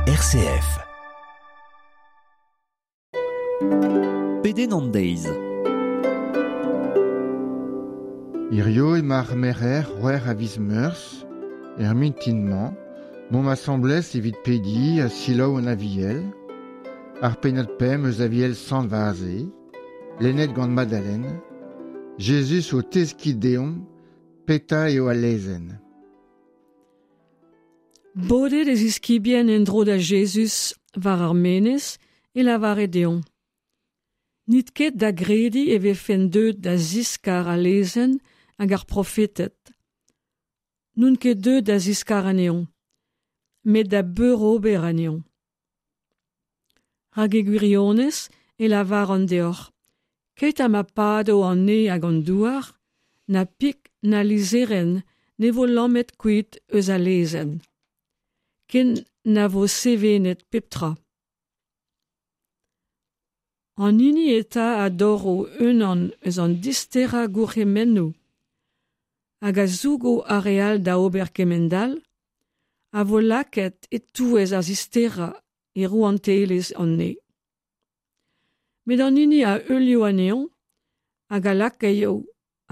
RCF. Pedenn an deiz. Hirio emañ ar merc'her c'hwec'h a viz Meurzh, er mintin-mañ, m'omp asambles evit pediñ ha selaou an Aviel, ar pennad pemp eus Aviel Sant Vaze, lennet gant Madalen, Jezuz o teskiñ deomp petra eo al lezenn. Bodet e ziskibien en-dro da Jezuz war ar menez e lavare dezhañ. N'it ket da grediñ e vefen deuet da ziskar al lezenn hag ar profeted. N'on ket deuet da ziskar anezhañ, met da beurober anezhañ. Rak e gwirionez e lavaran deoc'h, keit ha ma pado an neñv hag an douar, na pik na lizherenn ne vo lamet kuit eus al lezenn. Ken na vo sevenet pep tra. An hini eta a dorro unan eus an disterañ gourc'hemennoù hag a zougo ar re all da ober kement-all, a vo lakaet e-touez ar zisterañ e rouantelezh an neñv. Met an hini a heulio anezhañ hag a lakaio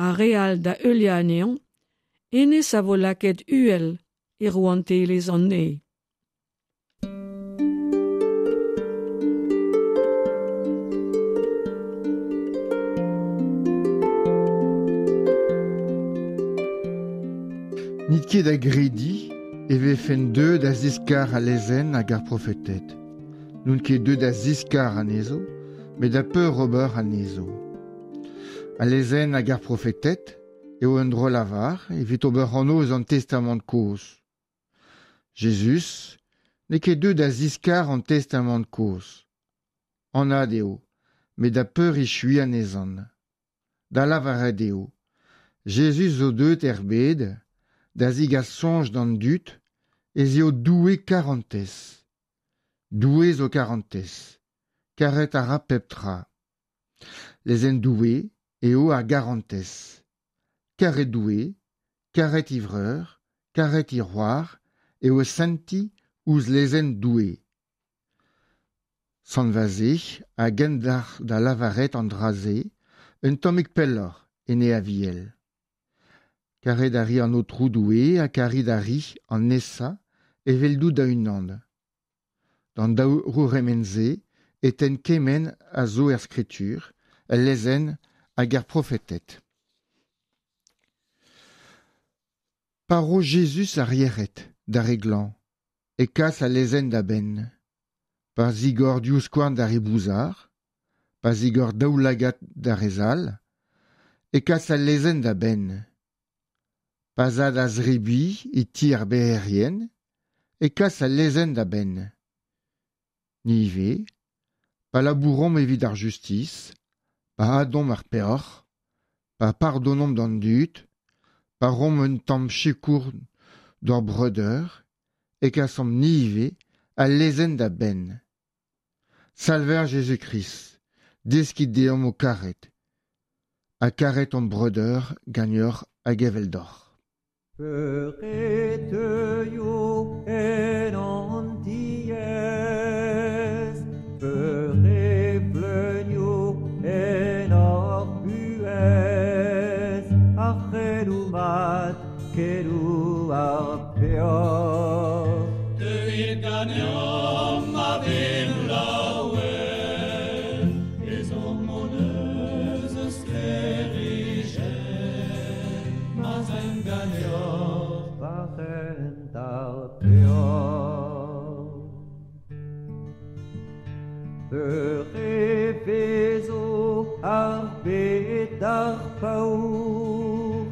ar re all da heuliañ anezhañ, hennezh a vo lakaet uhel e rouantelezh an neñv. N'it ket da grediñ e vefen deuet da ziskar al lezenn hag ar profeted. N'on ket deuet da ziskar anezho, met da peurober anezho. Al lezenn hag ar profeted eo un dro-lavar evit ober anv eus an Testamant kozh. Jezuz n'eo ket deuet da ziskar an Testamant kozh. Anat eo, met da peurechuiñ anezhañ. Da lavaret eo, Jezuz zo deuet er bed da zegas soñj d'an dud ez eo Doue karantez. Doue zo karantez. Karet a ra pep tra. Lezenn Doue eo ar garantez. Karet Doue, karet e vreur, karet e c'hoar eo sentiñ ouzh lezenn Doue. Sant Vaze a gendalc'h da lavaret an dra-se un tammig pelloc'h en e Aviel. Karet a ri an Aotrou Doue ha karit a ri an nesañ eveldout da-unan. D'an daou c'hourc'hemenn-se e tenn kement a zo er Skritur, el lezenn hag er profeted. Pa ro Jezuz ar yec'hed d'ar re glañv e kas al lezenn da benn. Pa zigor divskouarn d'ar re bouzar, pa zigor daoulagad d'ar re zall, e kas al lezenn da benn. Pa 'z a da zebriñ e ti ar bec'herien, e kas al lezenn da benn. Ni ivez, pa labouromp evit ar justis, pa adomp ar peoc'h, pa pardonomp d'an dud, pa roomp un tamm sikour d'hor breudeur, e kasomp ni ivez al lezenn da benn. Salver Jezuz-Krist, deskit deomp ho karet, ha karet hon breudeur ganeoc'h hag eveldoc'h. Peur e teuio en hon tiez, peur e vleunio en hor buhez, ar c'heloù mat, keloù ar peoc'h. Deuit ganeomp ma vimp laouen, ezhomm hon eus eus sklêrijenn, ma'z aimp ganeoc'h. War hent ar peoc'h. Peur e vezo ar bed d'ar paour,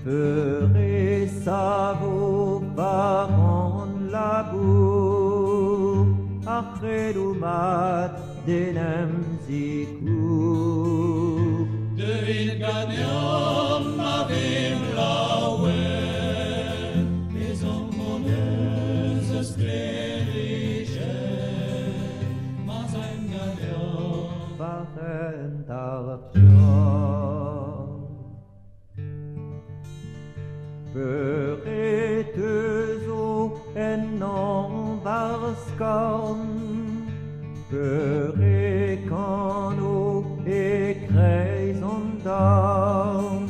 peur e savo war an labour, ar c'heloù mat d'en em zikour. Deuit ganeomp ma vimp laouen, ezhomm hon eus eus sklêrijenn, ma'z aimp ganeoc'h. War hent ar peoc'h. Peur e teuzo ennañ war ar skorn Peur e kano e kreiz an dorn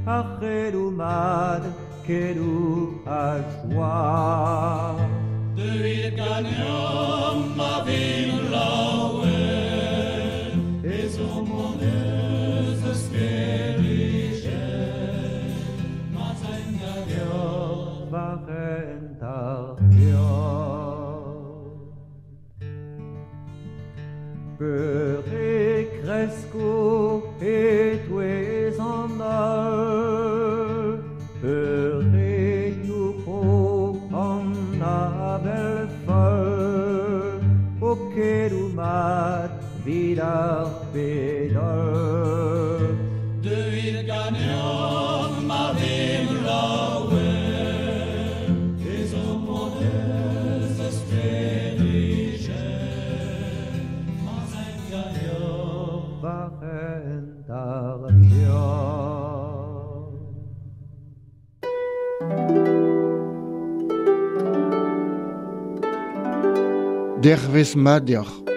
Ar c'helou mad, kelou a joa Deuit ganeomp ma vimp laouen Ezhomm hon eus eus sklêrijenn Ma'z aimp ganeoc'h War hent ar peoc'h Peur e kresko e-touez an holl Peur e youc'ho an avel foll O kelou mat 'vit ar bed holl Deuit ganeomp ma vimp laouen Ezhomm hon eus eus sklêrijenn Ma'z aimp ganeoc'h War hent ar peoc'h Dervezh mat deoc'h.